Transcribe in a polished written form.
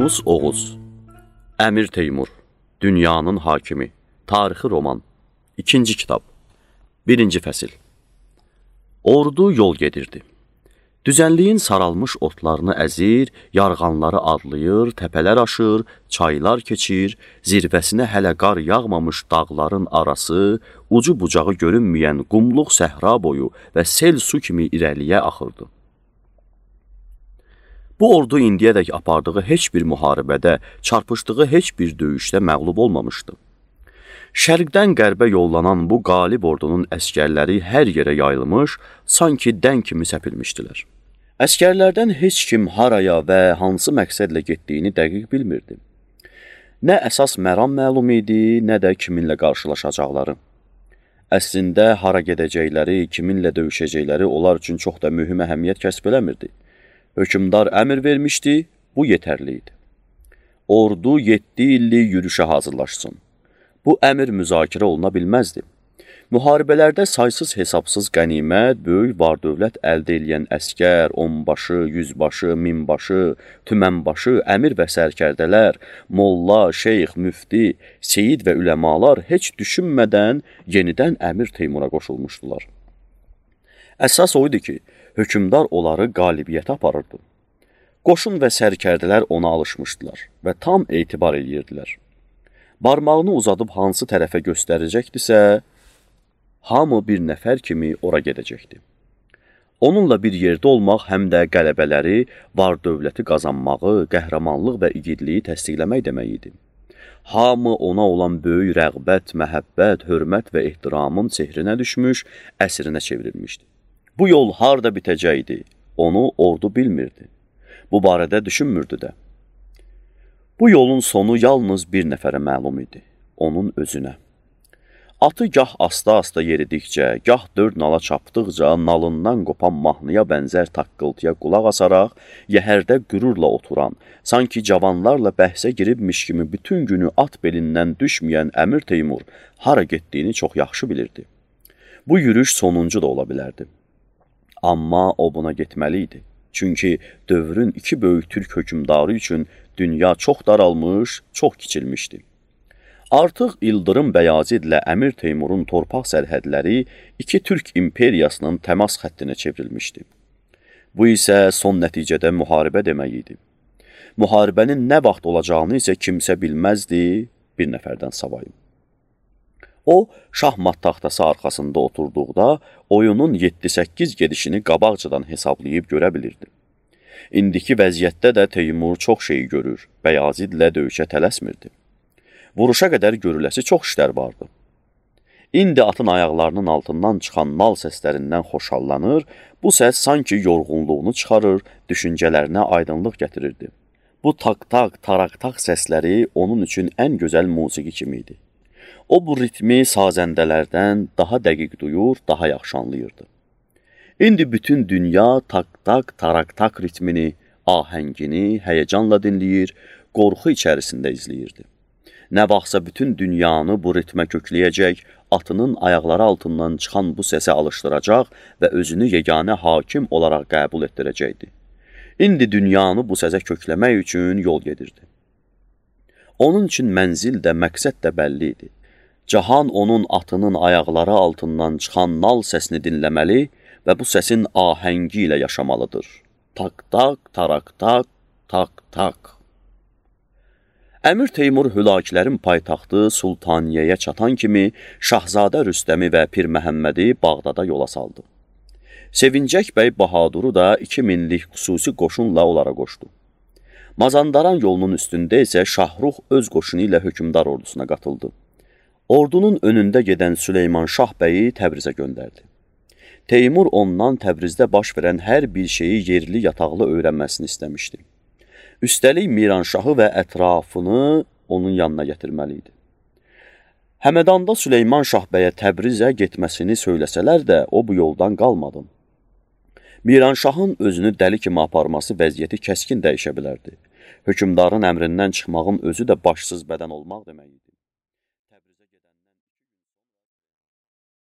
Yunus Oğuz Əmir Teymur Dünyanın hakimi Tarixi roman 2-ci kitab 1-ci fəsil Ordu yol gedirdi. Düzənliyin saralmış otlarını əzir, yarğanları adlayır, təpələr aşır, çaylar keçir, zirvəsinə hələ qar yağmamış dağların arası, ucu bucağı görünməyən qumluq səhra boyu və sel su kimi irəliyə axırdı. Bu ordu indiyədək apardığı heç bir müharibədə, çarpışdığı heç bir döyüşdə məğlub olmamışdı. Şərqdən qərbə yollanan bu qalib ordunun əskərləri hər yerə yayılmış, sanki dən kimi səpilmişdilər. Əskərlərdən heç kim haraya və hansı məqsədlə getdiyini dəqiq bilmirdi. Nə əsas məram məlum idi, nə də kiminlə qarşılaşacaqları. Əslində, hara gedəcəkləri, kiminlə döyüşəcəkləri onlar üçün çox da mühüm əhəmiyyət kəsb eləmirdi. Hökümdar əmr vermişdi, bu yetərli idi. Ordu 7 illik yürüşə hazırlaşsın. Bu əmr müzakirə oluna bilməzdi. Müharibələrdə saysız-hesabsız qənimət, böyük var-dövlət əldə edən əskər, onbaşı, yüzbaşı, minbaşı, tümənbaşı, əmir və sərkərdələr, molla, şeyx, müfti, seyid və üləmalar heç düşünmədən yenidən Əmir Teymura qoşulmuşdular. Əsas o idi ki, hökümdar onları qalibiyyətə aparırdı. Qoşun və sərkərdələr ona alışmışdılar və tam etibar edirdilər. Barmağını uzadıb hansı tərəfə göstərəcəkdisə, hamı bir nəfər kimi ora gedəcəkdi. Onunla bir yerdə olmaq həm də qələbələri, var-dövləti qazanmağı, qəhrəmanlıq və igidliyi təsdiqləmək demək idi. Hamı ona olan böyük rəğbət, məhəbbət, hörmət və ehtiramın sehrinə düşmüş, əsrinə çevrilmişdi. Bu yol harda bitəcəkdi, onu ordu bilmirdi. Bu barədə düşünmürdü də. Bu yolun sonu yalnız bir nəfərə məlum idi, onun özünə. Atı gah asta-asta yeridikcə, gah dörd nala çapdıqca, nalından qopan mahnıya bənzər taqqıltıya qulaq asaraq, yəhərdə qürurla oturan, sanki cavanlarla bəhsə giribmiş kimi bütün günü at belindən düşməyən Əmir Teymur hara getdiyini çox yaxşı bilirdi. Bu yürüş sonuncu da ola bilərdi. Amma o buna getməli idi. Çünki dövrün iki böyük türk hökümdarı üçün dünya çox daralmış, çox kiçilmişdi. Artıq İldırım Bəyazidlə Əmir Teymurun torpaq sərhədləri iki türk imperiyasının təmas xəttinə çevrilmişdi. Bu isə son nəticədə müharibə demək idi. Müharibənin nə vaxt olacağını isə kimsə bilməzdi, bir nəfərdən savayım. O, şahmat taxtası arxasında oturduqda oyunun 7-8 gedişini qabaqcadan hesablayıb görə bilirdi. İndiki vəziyyətdə də Teymur çox şeyi görür, Bəyazidlə döyüşə tələsmirdi. Vuruşa qədər görüləsi çox işlər vardı. İndi atın ayaqlarının altından çıxan nal səslərindən xoşallanır, bu səs sanki yorğunluğunu çıxarır, düşüncələrinə aydınlıq gətirirdi. Bu tak-tak, tarak-tak səsləri onun üçün ən gözəl musiqi kimi idi. O bu ritmi sazəndələrdən daha dəqiq duyur, daha yaxşı anlayırdı. İndi bütün dünya tak-tak, tarak-tak ritmini, ahəngini həyəcanla dinləyir, qorxu içərisində izləyirdi. Nə vaxtsa bütün dünyanı bu ritmə kökləyəcək, atının ayaqları altından çıxan bu səsə alışdıracaq və özünü yeganə hakim olaraq qəbul etdirəcəkdi. İndi dünyanı bu səsə kökləmək üçün yol gedirdi. Onun üçün mənzil də, məqsəd də bəlli idi. Cahan onun atının ayaqları altından çıxan nal səsini dinləməli və bu səsin ahəngi ilə yaşamalıdır. Tak-tak, tarak-tak, tak-tak. Əmir Teymur hülakülərin paytaxtı Sultaniyəyə çatan kimi Şahzadə Rüstəmi və Pir Məhəmmədi Bağdada yola saldı. Sevincək bəy Bahaduru da 2000'lik xüsusi qoşunla onlara qoşdu. Mazandaran yolunun üstündə isə Şahruh öz qoşunu ilə hökümdar ordusuna qatıldı. Ordunun önündə gedən Süleyman Şah bəyi Təbrizə göndərdi. Teymur ondan Təbrizdə baş verən hər bir şeyi yerli yataqlı öyrənməsini istəmişdi. Üstəlik Miranşahı və ətrafını onun yanına gətirməli idi. Həmədanda Süleyman Şah bəyə Təbrizə getməsini söyləsələr də o bu yoldan qalmadı. Miranşahın özünü dəli kimi aparması vəziyyəti kəskin dəyişə bilərdi. Hökümdarın əmrindən çıxmağın özü də başsız bədən olmaq demək idi.